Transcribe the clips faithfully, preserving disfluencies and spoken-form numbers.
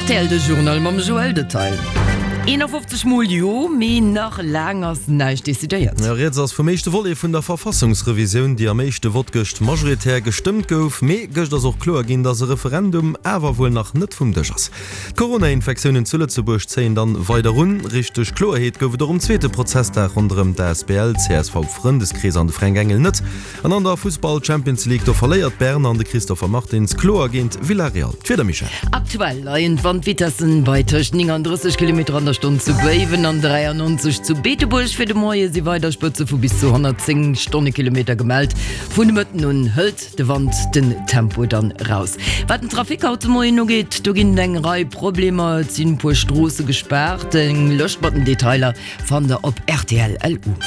Rtl de Journal mam Joël Detail. eenafofzeg mol Jo, mee nach laang ass näischt decidéiert. Rieds ass vum éischte Volet vun der Verfassungsrevisioun, déi am éischte Vott gëscht majoritär gestëmmt gouf. Mee gëscht ass och kloer ginn, datt e Referendum awer wuel nach net vum Dësch ass. D'Corona-Infektiounen zu Lëtzebuerg zéien dann weider un. Richteg Kloerheet gouf et och um zweete Prozessdag ronderëm d'Asbl csv Frëndeskrees an de Fränk Engel net. An an der Fussball-Champions League, do verléiert Bern an de Christopher Martins kloer géint Villarreal. D'Wieder, Michèle? Aktuell leien d'Wandvitessen bei tëscht nénganddrësseg Kilometer an der Stonn zu Béiwen an dräiannonzeg zu Beetebuerg. Fir de Moie si weider Spëtze vu bis zu honnertzéng Stonnekilometer gemellt. Vun de Mëtten un hëlt de Wand den Tempo dann raus. Wat den Trafic haut de Moien ugeet, do ginn et eng Rei Problemer. Et sinn e puer Stroosse gespaart. Eng Lëscht mat den Detailer fannt der op rtl. Lu.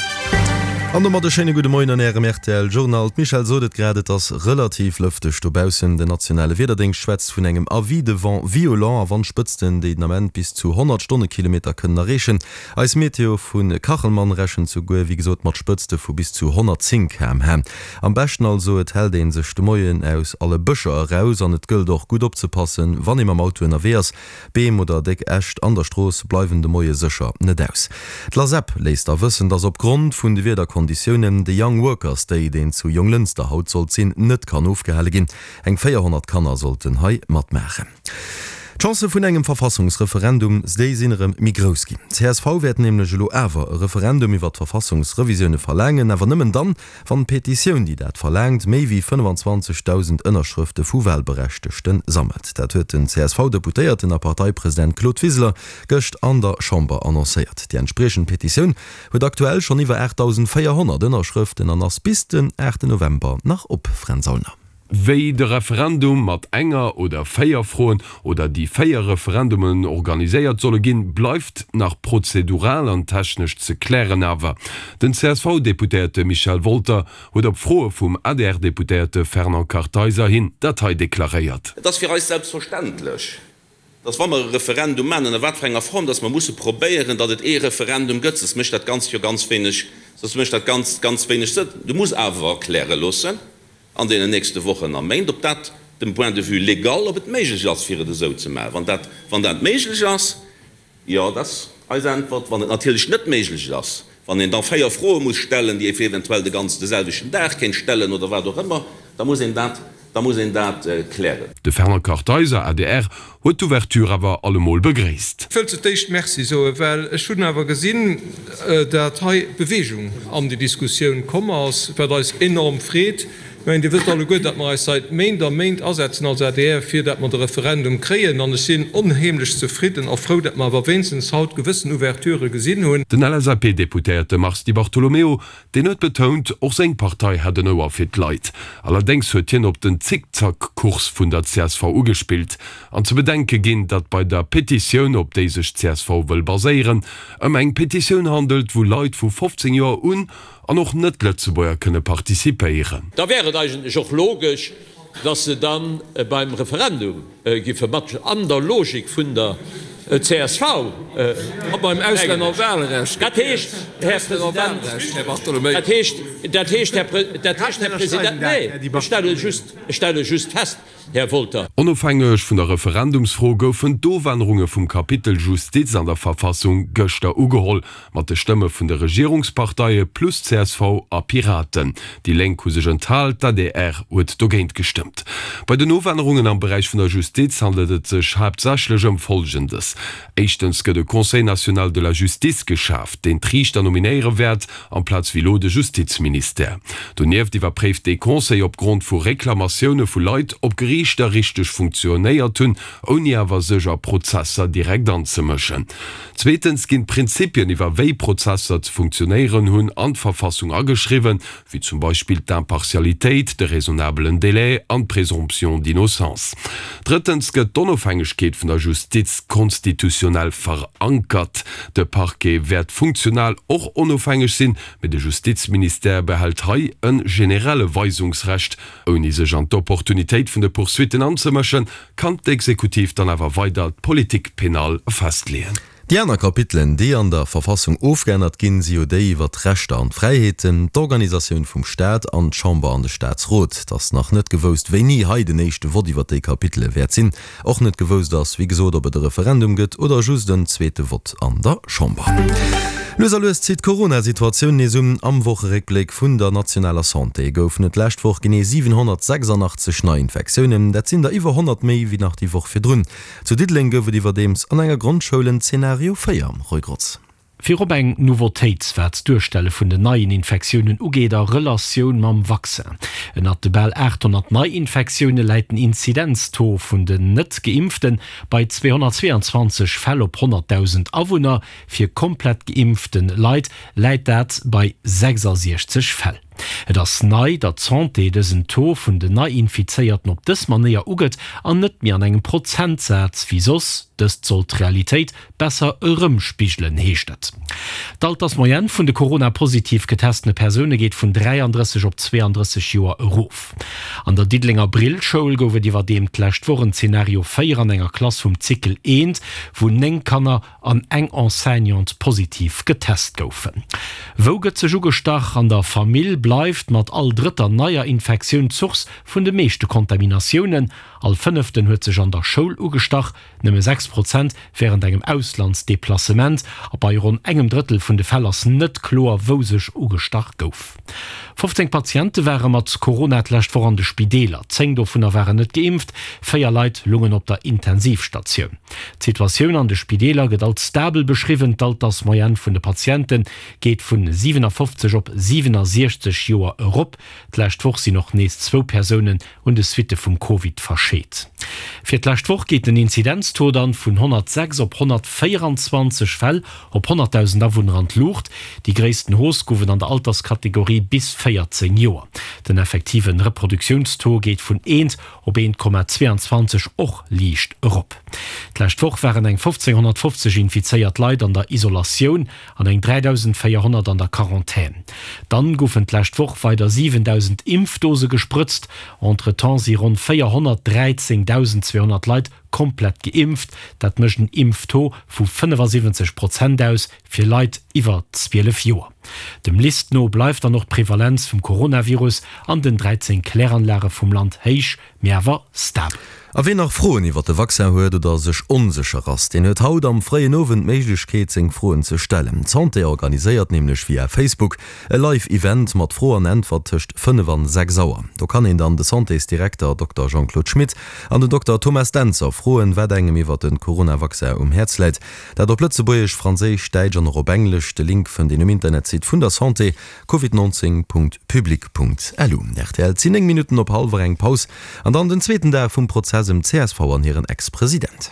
An domat e schéine gudde Moien an Ärem rtl Journal. D'Michèle sot et grad, et ass relativ lëfteg dobaussen. Den nationale Wiederdéngscht schwätzt vun engem Avis de vent violent a Wandspëtzten, déi den Ament bis zu honnert Stonnekilometer kënnen erreechen. Eis Meteo vu Kachelmann rechent souguer, wéi gesot, mat Spëtzte vu bis zu honnertzéng K M H. Am beschten also, et hält ee sech de Moien aus alle Bëscher eraus an et gëllt och gutt opzepassen, wann ee mam Auto ënnerwee ass. Beem oder déck Äscht an der Strooss bleiwen de Moie sécher net aus. D'Lasep léisst da wëssen, dass op Grond vun de Wiederkonditiounen de Young Workers Day, deen zu Jonglënster haut sollt sinn, net kann ofgehale ginn. Eng véierhonnert Kanner sollten hei matmaachen. D'Chancë vun engem Verfassungsreferendum, déi sinn erëm méi grouss ginn. Csv wäert nämlech elo awer e Referendum iwwer d'Verfassungsrevisioune verlaangen, awer nëmmen dann, wann d'Petitioun, déi dat verlaangt, méi wéi fënnefenzwanzegdausend Ënnerschrëfte vu Walberechtegte sammelt. Dat huet den C S V-Deputéierten a Parteipresident Claude Wiseler gëscht an der Chamber annoncéiert. Déi entspriechend Petitioun huet aktuell schonn iwwer aachtdausendvéierhonnert Ënnerschrëften an ass bis den aachten November nach op. Fränz Aulner. Wéi de Referendum mat enger oder véier Froen oder déi véier Referendumen organiséiert solle ginn, bleift nach prozedural an technesch ze klären. Awer den C S V-Deputéierte Michel Wolter huet op Froe vum A D R-Deputéierte Fernand Kartheiser hin dat hei deklaréiert. Et ass fir eis selbstverständlech, dass, wa mer e Referendum maachen, ënner wat fir enger Form, dass mer musse probéieren, datt et ee Referendum gëtt, soss mécht dat Ganzt jo ganz wéineg, soss mécht dat Ganzt ganz wéineg Sënn. Du muss awer erkläre loossen an deenen nächste Wochen a Méint, ob dat dem Point de vue légal, ob et méiglech ass, fir et esou ze maachen. Wann dat, wann dat méiglech ass, jo, dat ass eis Äntwert. Wann et natierlech net méiglech ass, wann een da véier Froe muss stellen, déi ee fir eventuell de ganzen de selwechten Dag kéint stellen oder wat och ëmmer, da muss een dat, da muss een dat klären. De Fernand Kartheiser, A D R, huet d'Ouverture awer allemol begréisst. Ech wëll zu d'éischt Merci soen, well ech hunn awer gesinn, dat hei Bewegung an déi Diskussioun komm ass, wat eis enorm freet. Ech mengen, Dir wësst alleguer, datt mer eis seit Méint a Méint asetzen als A D R, fir datt mer de Referendum kréien. An ech sinn onheemlech zefridden a frou, datt mer awer wéinstens haut gewëssen Ouverturë gesinn hunn. Den L S A P-Deputéierte Mars Di Bartolomeo, deen huet betount, och seng Partei hätt en Ouer fir d'Leit. Allerdéngs huet hien op den Zickzack-Kurs vun der C S V ugespillt an ze bedenke ginn, datt bei der Petitioun, op déi sech d'C S V wëll baséieren, ëm eng Petitioun handelt, wou Leit vu fofzéng Joer un an och Net-Lëtzebuerger kënne participéieren. Da wär et eigentlech och logesch, dass se da beim Referendum giffe matstëmmen, an der Logik vun der C S V. A beim Auslännerwahlrecht. Dat heescht, Här President, dat heescht, dat heescht, dat heescht, Här President, nee, ech stelle just, ech stelle just fest, Här Wolter. Onofhängeg vun der Referendumsfro goufen d'Ofännerunge vum Kapitel Justiz an der Verfassung gëschter ugeholl, mat de Stëmme vun de Regierungsparteie plus C S V a Piraten. Déi Lénk hu sech enthal, d'A D R huet dogéint gestëmmt. Bei den Ofännerungen am Beräich vun der Justiz handelt et sech haaptsächlech ëm Folgendes, Éischtens gëtt e Conseil national de la justice geschaaft, deen d'Riichter nominéiere wäert, amplaz wéi elo de Justizministère. Donieft iwwerpréift dee Conseil opgrond vu Reklamatioune vu Leit, ob Geriichter richteg funktionéiert hunn, ouni awer sech a Prozesser direkt anzemëschen. Zweetens ginn d'Prinzipien iwwer wéi Prozesser ze funktionéieren hunn an d'Verfassung ageschriwwen, wéi zum Beispill d'Impartialitéit, de raisonnabelen Délai an d'Présomption d'innocence. Drëttens gëtt d'Onofhängegkeet vun der Justiz konstitutionell verankert. De Parquet wäert funktional och onofhängeg sinn, mee de Justizministère behält hei e generelle Weisungsrecht. Ouni sech an d'Opportunitéit vun de Poursuitten anzemëschen, kann d'Exekutiv dann awer weider d'Politique pénale festleeën. Déi aner Kapitelen, déi an der Verfassung ofgeännert ginn, si jo déi iwwer d'Rechter an d'Fräiheeten, d'Organisatioun vum Staat an d'Chamber an de Staatsrot. Et ass nach net gewousst, wéini hei den éischte Vott iwwer déi Kapitele wäert sinn. Och net gewousst ass, wéi gesot, ob et e Referendum gëtt oder just en zweete Vott an der Chamber. Lues a lues zitt d'Corona-Situatioun nees un. Am Wocheréckbléck vun der nationaler Santé goufen et d'lescht Woch genee siwenhonnertsechsandachtzeg Neiinfektiounen. Dat sinn der iwwer honnert méi wéi nach déi Woch virdrun. Zu Diddeleng gouf et iwwerdeems an enger Grondschoul en Zeenario véier. Roy Grotz. Virop eng Nouveautéit, wat d'Duerstelle vun den neien Infektiounen ugeet a Relatioun mam Vaccin. Ënnert de bal achthonnert Neiinfektioune läit den Inzidenztaux vun den Net-Geimpfte bei zweehonnertzweeanzwanzeg Fäll op honnertdausend Awunner, fir komplett geimpfte Leit läit dat bei sechsasiechzeg Fäll. Et ass nei, datt d'Santé dësen Taux vun den Neiinfizéierten op dës Manéier ugëtt an net méi an engem Prozentsaz wéi soss. Dëst soll d'Realitéit besser erëmspigelen, heescht et. D'Altersmoyenne vun de Corona-positiv getestene Persoune geet vun dräiandrësseg op zweeandrësseg Joer erof. An der Diddelenger Brillschoul gouf et iwwerdeem d'lescht Woch en Zenario véier an enger Klass vum Cycle eent, wou néng Kanner an eng Enseignante positiv getest goufen. Wou gëtt sech ugestach? An der Famill bleift mat all drëtter neier Infektioun d'Source vun de meeschte Kontaminatiounen. All Fënneften huet sech an der Schoul ugestach, nëmme sechs Prozent wärend engem Auslandsdeplacement. A bei ronn engem Drëttel vun de Fäll ass net kloer, wou sech ugestach gouf. Fofzéng Patiente ware mat Corona d'lescht Woch an de Spideeler, zéng dovunner waren net geimpft, véier Leit lungen op der Intensivstatioun. D'Situatioun an de Spideeler gëtt als stabel beschriwwen. D'Altersmoyenne vun de Patiente geet vun siwenafofzeg op siwenasiechzeg Joer erop. D'lescht Woch sinn och nees zwou Persounen un de Suitte vum Covid verscheet. Fir d'lescht Woch geet den Inzidenztaux dann vun honnertsechs op honnertvéieranzwanzeg Fäll op honnertdausend Awunner an d'Luucht. Déi gréissten Hausse gouf et an der Alterskategorie bis véierzéng Joer. Den effektive Reproduktiounstaux geet vun eent op eent Komma zweeanzwanzeg och liicht erop. D'lescht Woch waren eng fofzénghonnertfofzeg infizéiert Leit an der Isolatioun an eng dräidausendvéierhonnert an der Quarantän. Dann goufen d'lescht Woch weider siwendausend Impfdose gesprëtzt. Entretemps si ronn véierhonnertdräizéngdausendzweehonnert Leit komplett geimpft. Dat mécht en Impftaux vu fënnefasiwwenzeg Prozent aus fir Leit iwwer zwielef Joer. Dem LIST no bleift dann och d'Prevalenz vum Coronavirus an den dräizéng Kläranlage vum Land héich, mee awer stabel. A ween nach Froen iwwer de Vaccin huet oder sech onsécher ass, deen huet haut am fréien Owend d'Méiglechkeet seng Froen ze stellen. D'Santé organiséiert nämlech via Facebook e Live Event mat Fro an Äntwert tëscht fënnef an sechs Auer. Do kann een dann de Santésdirekter Dokter Jean-Claude Schmit an den Dokter Thomas Dentzer froen, wat engem iwwer de Corona-Vaccin um Häerz läit. Dat op Lëtzebuergesch, Franséisch, Däitsch an och op Englesch. De Link fënnt een um Internetsite vun der Santé, covid neunzehn Punkt public Punkt lu. Rtl, Et sinn néng Minutten op hallwer eng. Paus an dann den zweeten Dag vum Prozess ëm d'CSV an hiren Ex-President.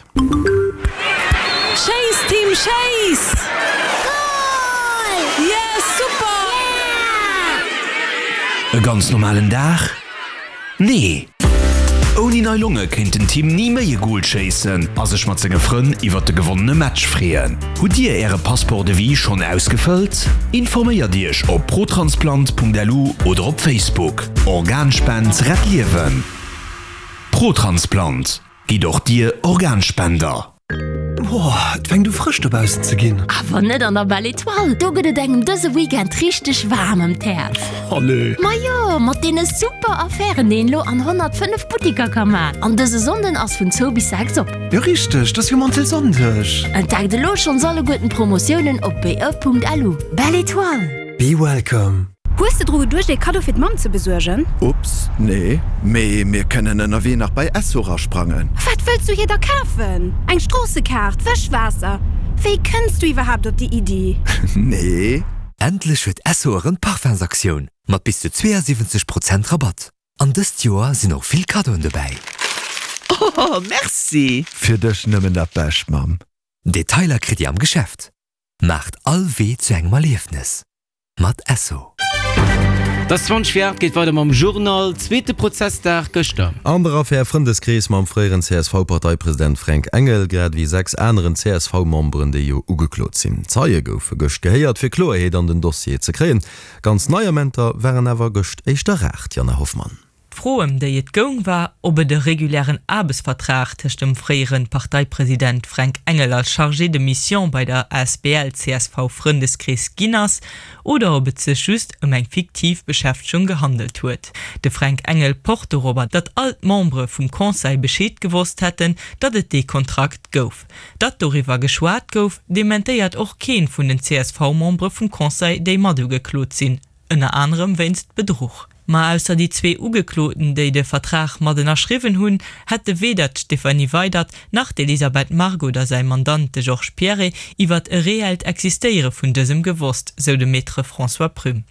Schéiss Team schéiss! Goal! Yes super! E ganz normalen Dag? Nee! Ouni nei Longe kéint den Tim ni méi e Goal schéissen a sech mat senge Frënn iwwert de gewonnene Match freeën. Hutt Dir Äre Passeport de vie schonn ausgefëllt? Informéiert Iech op protransplant.lu oder op Facebook. Organspend rett Liewen! Protransplant, Gitt och Dir Organspender! Boah, et fänkt u frësch dobaussen ze ginn. Awer net an der Belle Etoile, do gëtt et engem dëse Weekend richteg waarm ëm d'Häerz. Allez! Majo, mat deene super Affären, déi een elo an honnertfënnef Buttiker ka man. An dëse Sonnden ass vun zwou bis sechs op. Jo richteg, 't ass jo Mantelsonndeg. Entdeckt elo schonns alleguerten d'Promotiounen op be.lu. Belle Etoile! Be welcome! Hues de dru geduecht ee Kaddo fir d'Mamm ze besuergen? Ups, nee, mee mir kënnen ënnerwee nach bei Esso rasprangen. Wat wëlls du hir da kafen? Eng Stroossekaart? Wëschwaasser? Wéi kënns du iwwerhaapt op déi Iddi? Nee. Endlech huet Esso erëm d'Parfumsaktioun mat bis zu zweeënsiwwenzeg Prozent Rabatt. An dëst Joer sinn och vill Kaddoen dobäi. Oh, merci! Fir dech nëmmen dat Bescht, Mamm. Detailer kritt dir am Geschäft. Maacht all Wee zu engem Erliefnes mat Esso. Et ass zwanzeg vir aacht, geet weider mam Journal. Zweete Prozessdag gëschter. An der Affär Frëndeskrees mam fréieren C S V-Parteipresident Fränk Engel, grad ewéi sechs aneren C S V-Memberen, déi jo ugeklot sinn. Zeie goufe gëscht gehéiert, fir Kloerheet an den Dossier ze kréien. Ganz nei Amenter waren awer gëscht éischter rar, D'Jana Hoffmann. D'Fro, ëm déi et goung, war, ob et e regulären Aarbechtsvertrag tëscht dem fréiere Parteipresident Fränk Engel als Chargé de mission bei der asbl csv Frëndeskrees ginn ass, oder ob et sech just ëm eng fiktiv Beschäftegung gehandelt huet. De Fränk Engel pocht dorobber, datt all d'Membere vum Conseil Bescheed gewosst hätten, datt et dee Kontrakt gouf. Datt doriwwer geschwat gouf, dementéiert och kee vun den CSV-Membere vum Conseil, déi matugeklot sinn, ënner anerem wéinst Bedruch. Ma ausser déi zwee Ugekloten, déi de Vertrag mat ënnerschriwwen hunn, hätte weder d'Stéphanie Weydert nach d'Elisabeth Margue oder säi Mandant, de Georges Pierret, iwwert e reellt Existéiere vun dësem gewosst, sou de Maître François Prüm.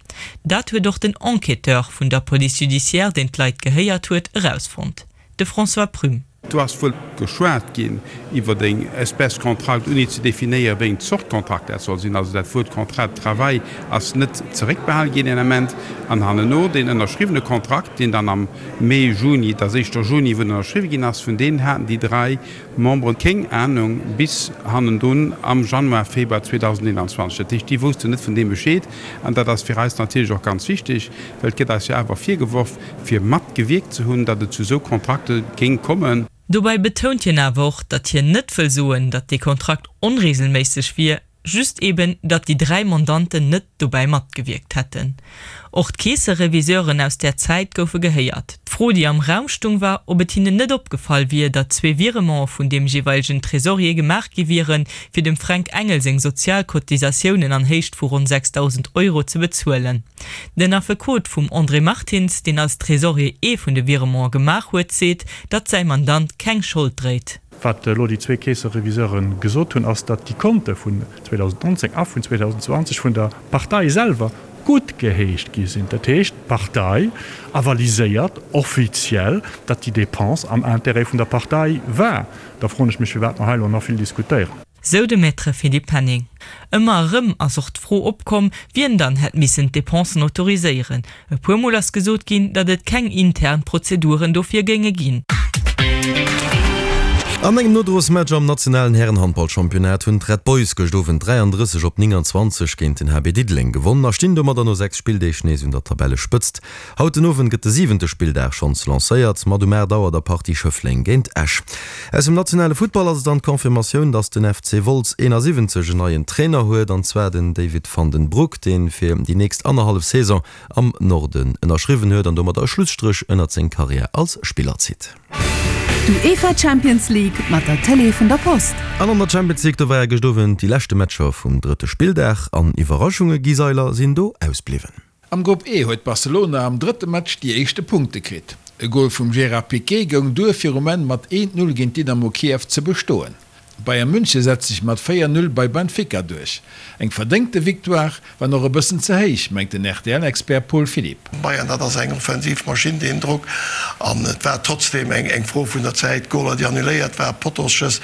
Dat huet och den Enquêteur vun der Police judiciaire, deen d'Leit gehéiert huet, erausfonnt. De François Prüm. Do ass wuel geschwat ginn iwwer eng Espèce Kontrakt, ouni ze definéieren, wéi eng Zort Kontrakt dat soll sinn. Also dat Wuert Contrat de travail ass net zeréckbehal ginn deen Ament. An hanneno deen ënnerschriwwene Kontrakt, deen dann am Mee, Juni, et ass éischter Juni, wou en ënnerschriwwe ginn ass, vun deem haten déi dräi Membere kéng Anung bis hannendrun am Januar, Februar zweedausendeenanzwanzeg. Dat heescht, déi woussten net vun deem Bescheed. An dat ass fir eis natierlech och ganz wichteg, well et gëtt eis jo awer virgeworf, fir matgewierkt ze hunn, datt et zu esou Kontrakte géing kommen. Dobäi betount hien awer och, datt hien net wëll soen, datt dee Kontrakt onreegelméisseg wier, just eben, datt déi dräi Mandanten net dobäi matgewierkt hätten. Och d'Keessereviseuren aus där Zäit goufe gehéiert. D'Fro, déi am Raum stung, war, ob et hinnen net opgefall wier, datt zwee Virementen vun deem jeeweilegen Tresorier gemaach gi wieren, fir dem Fränk Engel seng Sozialcotisatiounen an Héicht vu ronn sechsdausend Euro ze bezuelen. Den Affekot vum André Martins, deen als Tresorier ee vun de Virementen gemaach huet, seet, datt säi Mandant keng Schold dréit. Wat elo déi zwee Keessereviseure gesot hunn, ass, datt déi Konte vun zweedausendnonzéng a vun zweedausendzwanzeg vun der Partei selwer guttgeheescht gi sinn. Dat heescht, d'Partei avaliséiert offiziell, datt déi Dépense am Intérêt vun der Partei war. Da froen ech mech, firwat mer hei elo nach vill diskutéieren. Sou de Maître Philippe Penning. Ëmmer erëm ass och d'Fro opkomm, wien dann hätt missen d'Depensen autoriséieren. E puer Mol ass gesot ginn, datt et keng intern Prozeduren dofir géinge ginn. An engem Nodrosmatch am nationalen Hären-Handballchampionnat hunn d'Red Boys gëscht Owend dräiandrësseg op nénganzwanzeg géint den H B Diddeleng gewonnen a stinn domadder no sechs Spilldeeg nees un der Tabellespëtzt. Haut den Owend gëtt de siwente Spilldag schonns lancéiert, mat um aacht Auer der Partie Schëffleng géint Esch. Aus dem nationale Futtball ass et dann d'Confirmatioun, dass den F C Wolz eenasiwwenzeg en neien Trainer huet, an zwar den David van den Broek, dee fir déi nächst annerhallef Saison am Norden ënnerschriwwen huet an domadder e Schlusstréch ënnert seng Karriär als Spiller zitt. D'UEFA Champions League mat der Télé vun der Post. An an der Champions League, do ware gëscht Owend déi leschte Matcher vum drëtte Spilldag an Iwwerraschunge, Guy Seiler, sinn do ausbliwwen. Am Grupp E huet Barcelona am drëtte Match déi éischte Punkte kritt. E Gol vum Gerard Piqué goung duer fir um Enn mat eent Null géint Dynamo Kiew ze bestoen. Bayern München setzt sech mat véier Null bei Benfica duerch. Eng verdéngte Victoire, wann och e bëssen ze héich, mengt den R T L-Expert Paul Philipp. Bayern, dat ass eng offensiv Maschinn, deen Drock. An et war trotzdeem eng Fro vun der Zäit, Goler, déi annuléiert war, Pottoschëss.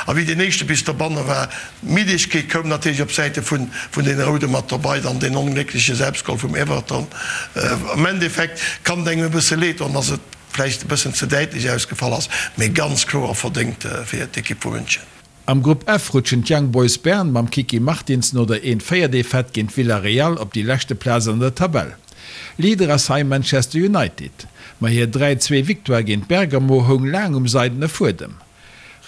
A wéi deen éischte bis dobanne war, d'Middegkeet koum natierlech op Säite vun deene Roude mat dobei, dann deen ongléckleche Selbstgol vum Everton. Am Endeffekt kann et engem e bësse leed doen, dass et vläicht e bëssen ze däitlech ausgefall ass, mee ganz kloer verdéngt fir d'Ekipp vu München. Am Grupp F rutschen d'Young Boys Bern mam Kiki Martins no der een véier Defaite géint Villarreal op déi leschte Plaz an der Tabell. Leader ass hei Manchester United, ma hir dräi zwee Victoire géint Bergamo houng laang um seidene Fuedem.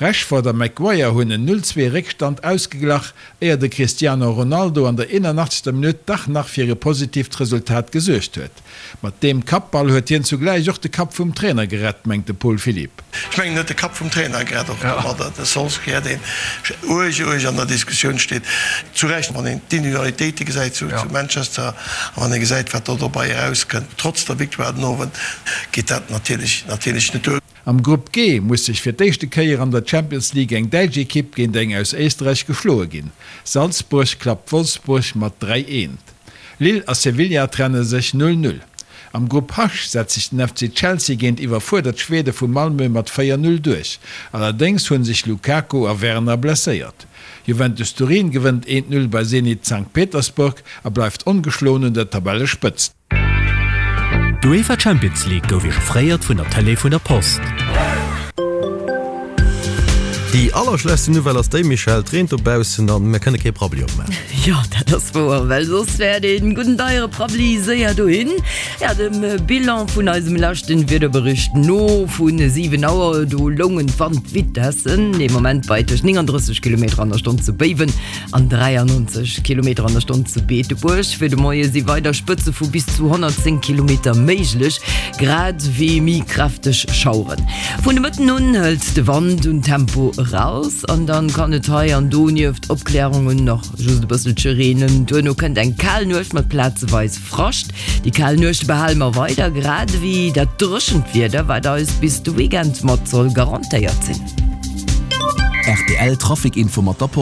Rashford a Maguire hunn en null zwee Réckstand ausgeglach, éier de Cristiano Ronaldo an der eenanachtzegster Minutt dach nach fir e positiivt Resultat gesuergt huet. Mat deem Kappball huet hien zugläich och de Kapp vum Trainer gerett, mengt de Paul Philipp. Ech mengen, en huet de Kapp vum Trainer gerett, och domadder de Solskjaer, deen uerg, uerg an der Diskussioun steet, zu Recht, wann een d'Individualitéite gesäit zu Manchester a wann ee gesäit, wat do dobei erauskënnt, trotz der Victoire den Owend, geet dat natierlech, natierlech net duer. Am Grupp G muss sech fir d'éischte Kéier an der Champions League eng däitsch Ekipp géint eng aus Éisterräich geschloe ginn. Salzburg klappt Wolfsburg mat dräi eent. Lille a Sevilla trenne sech null null. Am Grupp H setzt sech den F C Chelsea géint iwwerfuerdert Schwede vu Malmö mat véier null duerch. Allerdéngs hu sech Lukaku a Werner blesséiert. Juventus Turin gewënnt eent null bei Zenit Sankt Petersburg a bleift ongeschloen un der Tabellespëtzt. D'UEFA Champions League gouf Iech offréiert vun der Tëlee vun der Post. Déi allerschlechtste Nouvelle ass déi, Michèle, et reent dobaussen an mir kënne kee Prabbeli opmaachen. Jo, dat ass wouer, well soss wär dee gudden deiere Prabbeli séier dohin. Ja, dem Bilan vun eisem leschten Wiederbericht no vu siwen Auer, do loungen d'Wandvitessen dee Moment bei tëscht nénganddrësseg Kilometer an der Stonn zu Béiwen an dräiannonzeg Kilometer an der Stonn zu Beetebuerg. Fir de Moie si weider Spëtze vu bis zu honnertzéng Kilometer méiglech, grad ewéi méi kräfteg Schaueren. Vun de Mëtten un hëlt de Wand un Tempo eraus an dann kann et hei an do nieft Opklärungen nach just e bësselche reenen. Duerno kënnt eng kal Nuecht mat plazeweis Frascht. Déi kal Nuechte behale mer weider, grad ewéi dat dréchent Wieder, wat eis bis de Weekend mat soll garantéiert sinn. Rtl Trafic Info mat der Post.